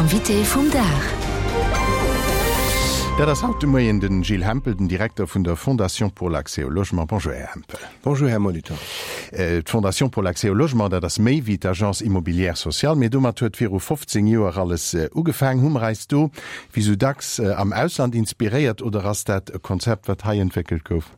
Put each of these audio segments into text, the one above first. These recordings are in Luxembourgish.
Invité vum Dag. Dat ass haut de Moien den Gilles Hempel, den Direkter vun der Fondation pour l'accès au logement. Bonjour Här Hempel. Bonjour Här Molitor. D'Fondation pour l'accès au logement, dat ass méi wéi d'Agence immobilière sociale, mee domat huet viru 15 Joer alles ugefaang. Hu mer eis do, wéi sou dacks, am Ausland inspiréiert oder ass dat e Konzept, wat hei entwéckelt gouf?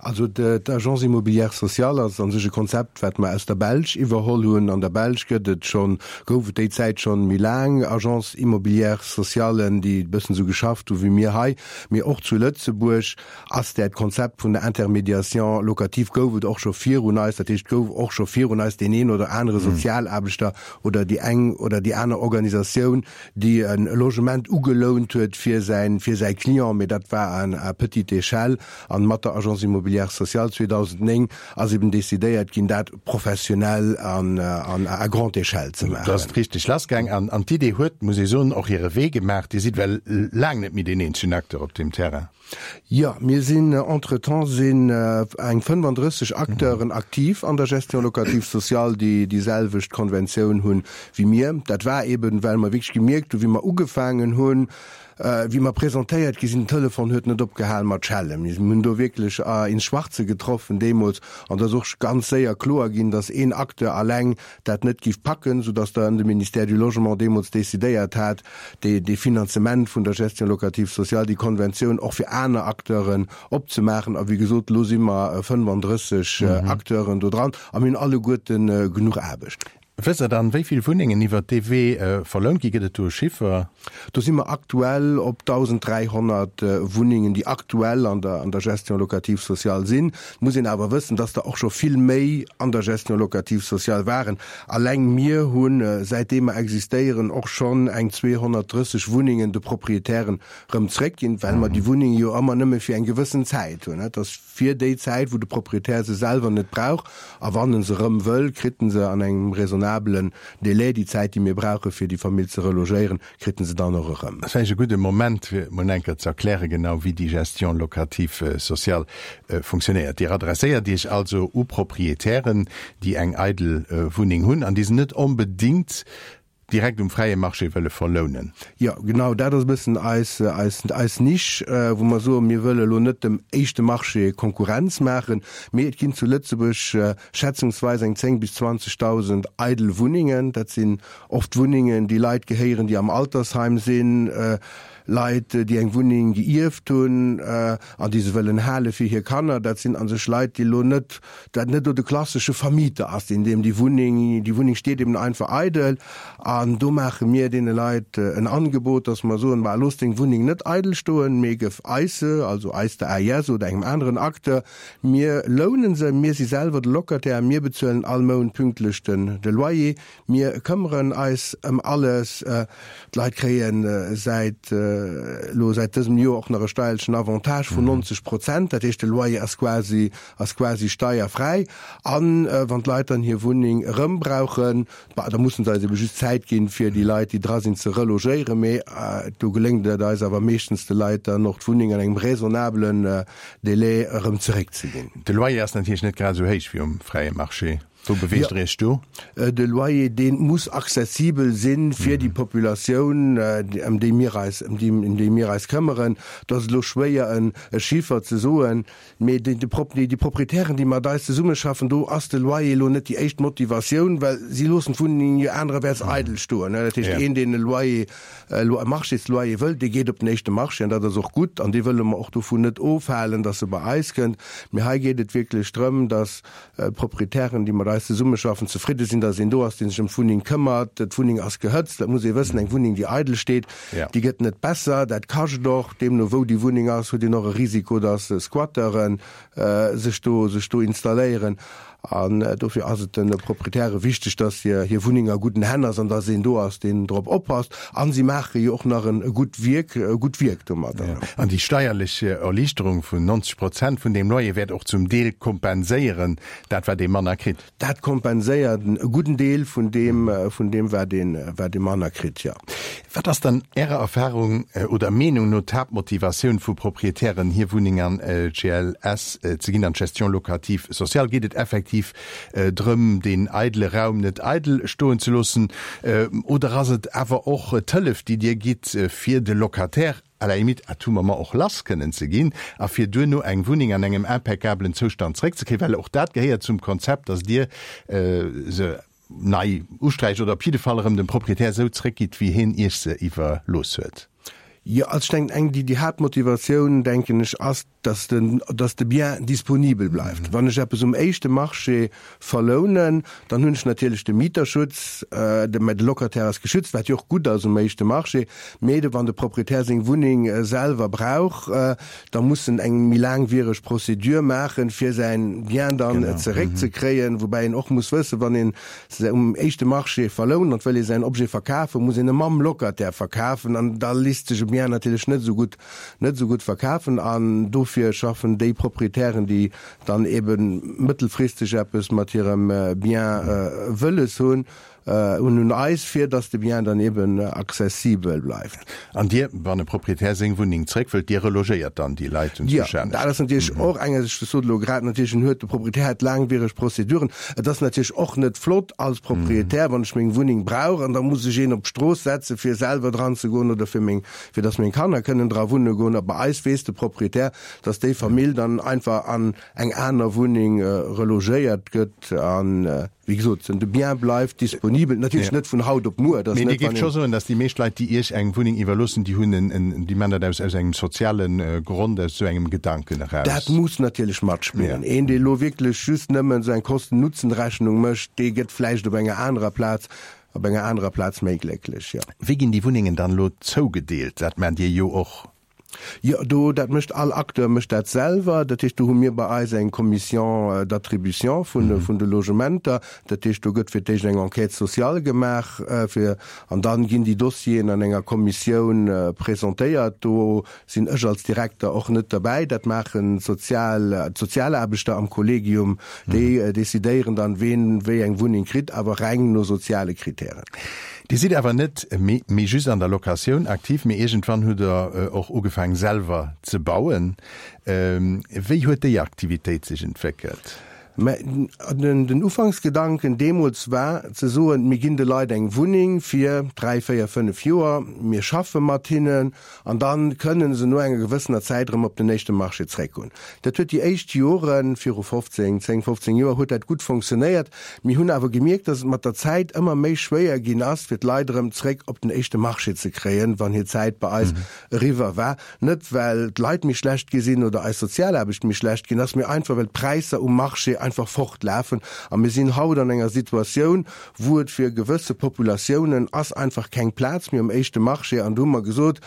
Also d'Agence immobilière sociale ass a sech e Konzept, wat mer aus der Belsch iwwerholl hunn. An der Belsch gëtt et schonn, gouf et déi Zäit schonn méi laang Agences immobilières sociales, déi e bëssen esou geschafft hu wéi mir hei. Mee och zu Lëtzebuerg ass dat Konzept vun der Intermédiation locative gouf et och scho virun eis. Dat heescht, gouf och scho virun eis deen een oder anere Sozialaarbechter oder déi eng oder déi aner Organisatioun, déi e Logement ugelount huet fir säin, fir säi Client, mee dat war à petite échelle. An mat der Agence immobilière sociale 2009 ass eben decidéiert ginn, dat professionell an à grande échelle ze maachen. Do ass et richteg lassgaang an an d'Idee huet, muss ee soen, och hire Wee gemaach. Dir sidd well laang net méi deen eenzegen Acteur op deem Terrain. Jo, mir sinn entretemps sinn eng 35 Acteuren aktiv an der Gestion locative sociale, déi déi selwecht Konventioun hunn wéi mir. Dat war eben, well mer wierklech gemierkt hunn, wéi mer ugefaangen hunn, wéi mer presentéiert gi sinn, den Telefon huet net opgehal mat schellen. Mir hunn do wierklech ins Schwarze getroffen deemools an et ass och ganz séier kloer ginn, dass een Acteur alleng dat net giff packen, soudass dann de Ministère du Logement deemools decidéiert hat, dee Finanzement vun der Gestion locative sociale, déi Konventioun och fir aner Acteuren opzemaachen. A wéi gesot, elo si mer 35 Acteuren do dran a mir hunn alleguerte genuch Aarbecht. Wësst Der dann, wéi vill Wunnengen iwwert dee Wee verlount ginn? Gëtt et do e Chiffer? Do si mer aktuell op 1.300 Wunnengen, déi aktuell an der an der Gestion locative sociale sinn. Et muss een awer wëssen, dass der och scho vill méi an der Gestion locative sociale waren. Alleng mir hunn, säitdeem mer existéieren, och schonn eng 230 Wunnengen de Proprietären erëm zréckginn, well mer déi Wunnenge jo ëmmer nëmme fir eng gewëssen Zäit hunn. Et ass fir déi Zäit, wou de Proprietär se selwer net brauch, a wann en se erëm wëll, kritt en se an engem raisonnabelen Délai, déi Zäit, déi mir brauche fir déi Famill ze relogéieren, kritt en se dann och erëm. Ass vläicht e gudde Moment, fir emol eng Kéier ze erklären, genau wéi déi Gestion locative sociale funktionéiert. Dir adresséiert Iech also u Proprietären, déi eng eidel Wunneng hunn an déi se net onbedéngt direkt um fräie Marché wëlle verlounen. Jo, genau, dat ass e bëssen eis, eis, eis Nisch, wou mer soen, mir wëlle elo net dem éischte Marché Konkurrenz maachen, mee et ginn zu Lëtzebuerg schätzungsweis eng 10 bis 20.000 eidel Wunnengen. Dat sinn oft Wunnengen, déi Leit gehéieren, déi am Altersheim sinn, Leit, déi eng Wunneng geierft hunn an déi se wëllen hale fir hir Kanner. Dat sinn a sech Leit, déi elo net dat net do de klassesche Vermieter ass, deen deem déi Wunneng, déi Wunneng steet eben einfach eidel an do maache mir deene Leit en Angebot, dass mer soen, ma looss deng Wunneng net eidel stoen, mee gëff eis se, also eis der AIS oder engem aneren Acteur, mir lounen se, mir si selwer de Locataire, mir bezuelen all Mount pünktlech den de Loyer, Mir këmmeren eis ëm alles. D'Leit kréie säit elo, säit dësem Joer och nach e steierlechen Avantage vun 90 Prozent. Dat heescht, de Loyer ass quasi, ass quasi steierfräi. A wann d'Leit dann hir Wunneng erëm brauchen, bah, da mussen se eis ebe just Zäit ginn, fir déi Leit, déi dra sinn, ze relogéieren. Mee do geléngt et eis awer meeschtens, de Leit dann och d'Wunneng an engem raisonnablen Délai erëm zeréckzeginn. De Loyer ass natierlech net grad esou héich wéi um fräie Marché. Wou beweegt Der Iech do? De Loyer, dee muss accessibel si fir déi Populatioun, ëm déi mir eis, ëm déi, ëm déi mir eis këmmeren. Et ass elo schwéier, en e Chiffer ze soen, mee déi, déi Proprietären, déi mat eis zesummeschaffen, do ass de Loyer elo net déi éischt Motivatioun, well si loossen d'Wunneng jo anerewäerts eidel stoen. Dat heescht, een, deen e Loyer, e Marchésloyer wëllt, dee geet op den éischte Marché an dat ass och gutt an dee wëlle mer och dovun net ofhalen, dass e bei eis kënnt. Mee hei geet et wierklech drëm, dass D'Proprietären, déi mat eis zesummeschaffen, zefridde sinn, datt een do ass, dee sech ëm d'Wunneng këmmert. D'Wunneng ass gehëtzt, dat muss ee wëssen. Eng Wunneng, déi eidel steet, déi gëtt net besser. Dat kascht och. Deemno wou déi Wunneng ass, huet een och e Risiko, datt Squatteuren sech do, sech do installéieren. An dofir ass et de Proprietäre wichteg, datt hir, hir Wunneng a gudden Hänn ass an datt een do ass, deen drop oppasst. A si maache jo och nach e gutt Wierk, e gutt Wierk domadder. An déi steierlech Erliichterung vun 90 Prozent vun deem Loyer wäert och zum Deel kompenséieren, dat wat ee manner kritt. Dat kompenséiert e gudden Deel vun deem, vun deem wat een, wat ee manner kritt, jo. Wat ass dann Ärer Erfahrung oder Meenung no d'Haaptmotivatioun vu Proprietären, hir Wunneng an GLS ze ginn, an d'Gestion locative sociale? Geet et effektiv. effektiv drëm, deen eidele Raum net eidel stoen ze loossen, oder ass et awer och d'Hëllef, déi Dir gitt, fir de Locataire à la limite à tout moment och lass kënnen ze ginn a fir duerno eng Wunneng an engem impeccablen Zoustand zeréckzekréien, well och dat gehéiert zum Konzept, dass Dir se nei usträicht oder op jidde Fall erëm dem Proprietär esou zeréckgitt, wéi hien Iech se iwwerlooss huet. Jo, also ech denken, eng, déi, déi Haaptmotivatioun, denken ech, ass, dass den, dass de Bien disponibel bleift. Wann ech eppes um éischte Marché verlounen, dann hunn ech natierlech de Mieterschutz, de, mä de Locataire ass geschützt, wat jo och gutt ass um éischte Marché. Mee de, wann de Proprietär seng Wunneng selwer brauch, da muss en eng méi laangwiereg Procédure maachen, fir säin Bien dann zeréckzekréien. Woubäi een och muss wëssen, wann een se um éischte Marché verlount an wëll ee säin Objet verkafen, muss een e mam Locataire verkafen an da lisst sech e Bien natierlech net esou gutt, net esou gutt verkafen. An dofir schaffen déi Proprietären, déi dann ebe mëttelfristeg eppes mat hirem Bien wëlles hunn, un un eis, fir dass de Bien dann eben accessibel bleift. An Dir, wann e Proprietär seng Wunneng zréck wëllt, Dir relogéiert dann déi Leit un Jo, dat ass natierlech och eng, ech sot elo grad natierlech, en huet, de Proprietär huet laangwiereg Prozeduren. Et ass natierlech och net flott als Proprietär, wann ech meng Wunneng brauch an da muss ech een op d'Strooss setze fir selwer dran ze goen oder fir meng, fir dass meng Kanner kënnen dra wunne goen. A bei eis weess de Proprietär, dass déi Famill dann einfach an eng aner Wunneng relogéiert gëtt an, wéi gesot, de Bien bleift disponibel, natierlech net vun haut op muer. Mee Dir géift scho soen, datt déi meescht Leit, déi Iech eng Wunneng iwwerloossen, déi hunn en, déi maachen dat aus, aus engem soziale Grond, aus esou engem Gedanken eraus? Dat muss natierlech matspillen. Een, dee elo wierklech just nëmmen esou eng Kosten-Nutzen-Rechnung mécht, dee gëtt vläicht op enger anerer Plaz, op enger anerer Plaz méi glécklech, jo. Wéi ginn déi Wunnengen dann elo zougedeelt? Dat maacht Dir jo och. Jo, do, dat mécht all Acteur mécht dat selwer. Dat heescht, do hu mir bei eis eng Commission d'attribution vun, vun de Logementer. Dat heescht, do gëtt fir d'éischt eng Enquête sociale gemaach, fir, an dann ginn déi Dossieren an enger Kommissioun presentéiert. Do sinn ech als Direkter och net derbäi. Dat maachen d'Sozial, d'Sozialaarbechter am Kollegium. Déi decidéieren dann, ween wéi eng Wunneng kritt, awer reng no soziale Kritären. Dir sidd awer net méi just an der Locatioun aktiv, mee iergendwann hutt Der och ugefaang selwer ze bauen. Wéi huet déi Aktivitéit sech entwéckelt? Mä den Ufanksgedanken deemools war ze soen, mir ginn de Leit eng Wunneng fir dräi, véier, fënnef Joer, mir schaffe mat hinnen an da kënnen se no enger gewëssener Zäit erëm op den éischte Marché zréckgoen. Dat huet déi éischt Joren, viru 15, 10, 15 Joer, huet dat gutt fonctionnéiert. Mir hunn awer gemierkt, dass et mat der Zäit ëmmer méi schwéier ginn ass, fir d'Leit erëm zréck op den éischte Marché ze kréien, wann hir Zäit bei eis eriwwer war. Net well d'Leit méi schlecht gi sinn oder eis Sozialaarbecht méi schlecht ginn ass, mee einfach well d'Präisser um Marché einfach fortlafen. A mir sinn haut an enger Situatioun, wou et fir gewësse Populatiounen ass einfach keng Plaz méi um éischte Marché. An do hu mer gesot,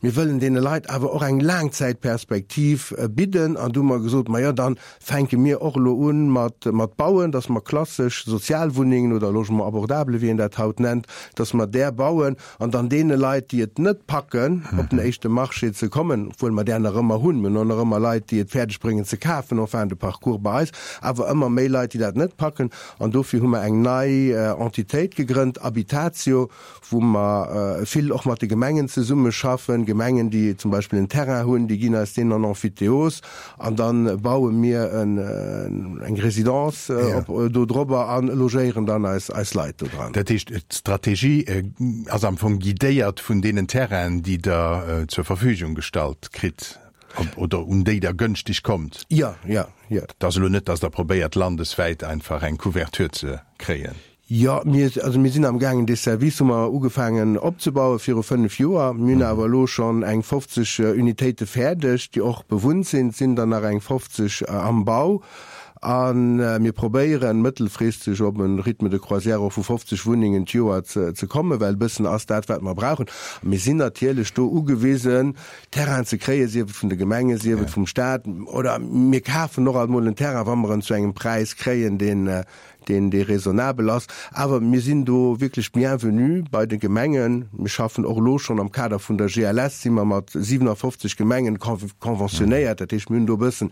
mir wëllen deene Leit awer och eng Laangzäitperspektiv bidden. An do hu mer gesot, majo, dann fänke mir och elo u mat mat bauen, dass mer klassesch Sozialwunnengen oder Logement abordable, wéi een dat haut nennt, dass mer där bauen an dann deene Leit, déi et net packen, op den éischte Marché ze kommen, obwuel mer där nach ëmmer hunn, mir hunn och nach ëmmer Leit, déi et fäerdeg bréngen ze kafen en fin de parcours bei eis, awer ëmmer méi Leit, déi dat net packen. An dofir hu mer eng nei Entitéit gegrënnt, Habitatio, wou mer vill och mat de Gemengen zesummeschaffen. Gemengen, déi zum Beispill en Terrain hunn, déi ginn eis deen an Emphytéose an da baue mir eng Résidence do drobber a logéieren dann eis Leit do dran. Dat heescht, d'Strategie ass am Fong guidéiert vun deenen Terrainen, déi Der zur Verfügung gestallt kritt? Oder un déi Der gënschteg kommt? Jo, jo, jo. Et ass elo net, datt Der probéiert, landeswäit einfach eng Couverture ze kréien. Jo, mir, also mir sinn amgaangen, dee Service hu mer ugefaangen opzebaue viru 5 Joer. Mir hunn awer elo schonn eng 50 Unitéite fäerdeg, déi och bewunnt sinn. Et sinn der nach eng 50 am Bau. A mir probéieren, mëttelfristeg op e Rythme de croisière och vu 50 Wunnengen d'Joer ze kommen, well e bëssen ass dat, wat mer brauchen. A mir sinn natierlech do ugewisen, Terrain ze kréien, sief et vun de Gemengen, sief et vum Staat, oder mir kafen och alt mol en Terrain, wa mer en zu engem Präis kréien, deen, deen, dee raisonnabel ass. Awer mir sinn do wierklech bienvenu bei de Gemengen. Mir schaffen och elo schonn am Kader vun der GLS, si mer mat 57 Gemengen conventionnéiert. Dat heescht, mir hunn do e bëssen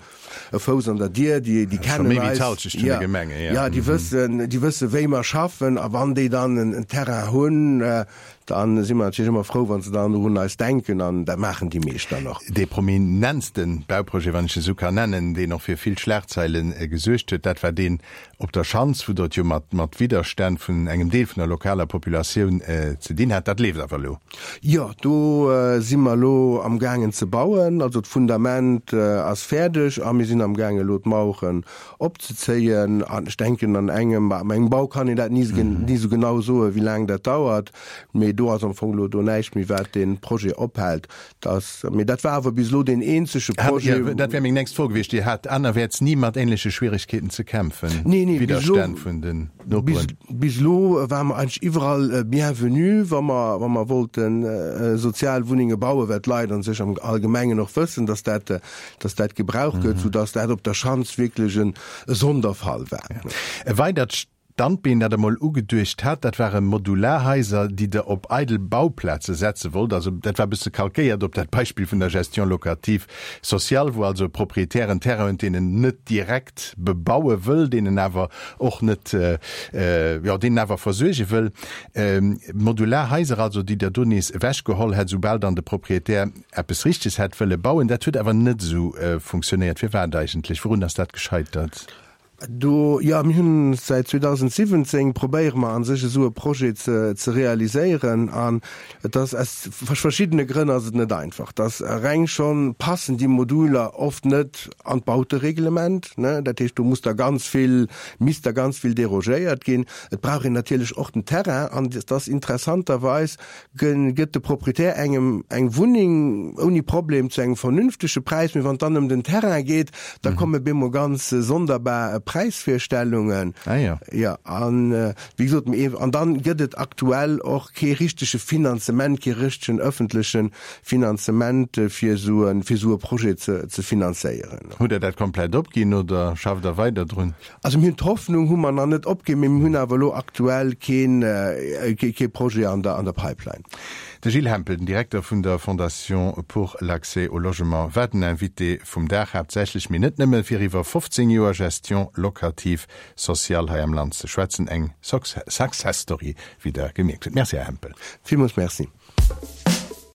e Fouss an der Dier, déi, déi kennen eis. Scho méi wéi d'Halschecht vun de Gemengen, jo. Jo, déi wëssen, déi wëssen, wéi mer schaffen. A wann déi dann en Terrain hunn,. Da si mer natierlech ëmmer frou, wa se dann och un eis denken, an dat maachen déi meescht dann och. Dee prominentste Bauprojet, wann ech e sou kann nennen, deen och fir vill Schlagzeile gesuergt huet, dat war deen op der Schanz, wou Der et jo mat mat Widderstänn vun engem Deel vun der lokaler Populatioun ze dinn hat. Dat leeft awer elo. Jo, do si mer elo amgaangen ze bauen. Also d'Fundament ass fäerdeg a mir sinn amgaangen elo d'Maueren opzezéien. An ech denken an engem, bah, engem Bau kann een dat ni ni esou genau soen, wéi laang dat dauert, mee do ass am Fong elo do näischt méi wat dee Projet ophält. Dass, mee dat war awer bis elo deen eenzege Projet. Ja, dat wär meng nächst Fro gewiescht. Dir hat anerwäerts ni mat ähnleche Schwieregkeeten ze kämpfen? Nee, nee, bis elo, Widderstänn vun den Noperen? bis elo ware mer eigentlech iwwerall bienvenu, wa mer, wa mer wollte Sozialwunnenge bauen, well d'Leit a sech am Allgemengen och wëssen, dass dat, dass dat gebraucht gëtt, soudass dat op der Schanz wierklech e Sonderfall war. E weidert Standbeen, dat Der mol ugeduecht hat, dat ware Modularhaiser, déi Der op eidel Bauplaze setze wollt. Also dat war e bësse kalkéiert op dat Beispill vun der Gestion locative sociale, wou also e Proprietär en Terrain huet, deen en net direkt bebaue wëll, deen en awer och net, jo, deen en awer versuerge wëll. Modularhaiser also, déi Der do nees ewechgeholl hätt, soubal dann de Proprietär eppes Richteges hätt wëlle bauen. Dat huet awer net esou funktionéiert. Firwat eigentlech? Wourun ass dat gescheitert? Do, jo, mir hunn säit 2017 probéiere mer a sech esou e Projet ze ze realiséieren an et ass aus verschiddene Grënn ass et net einfach. Et ass reng schonn, passen déi Moduler oft net an d'Bautereglement, ne, dat heescht do muss da ganz vill, misst da ganz vill derogéiert ginn. Et brauch een natierlech och den Terrain an et ass interessanterweis gëtt de Proprietär engem eng Wunneng ouni Problem zu engem vernünftege Präis, mee wann et dann ëm den Terrain geet, da komme bemol ganz sonderbar Präisvirstellungen. Ah jo. Jo, an wéi gesot, mee an dann gëtt et aktuell och kee richtege Finanzement, kee richtegen ëffentleche Finanzement fir esou e, fir esou e Projet ze, ze finanzéieren. Hutt Der dat komplett opginn oder schafft Der weider drun? Also mir hunn d'Hoffnung hu mer nach net opginn, mee mir hunn awer elo aktuell keen, kee Projet an der, an der Pipeline. De Gilles Hempel, den Direkter vun der Fondation pour l'accès au logement, war den Invité vum Dag, haaptsächlech, mee net nëmme, fir iwwer 15 Joer Gestion locative sociale hei am Land ze schwätzen. Eng Success Story, wéi Der gemierkt hutt. Merci, Här Hempel. Villmools Merci.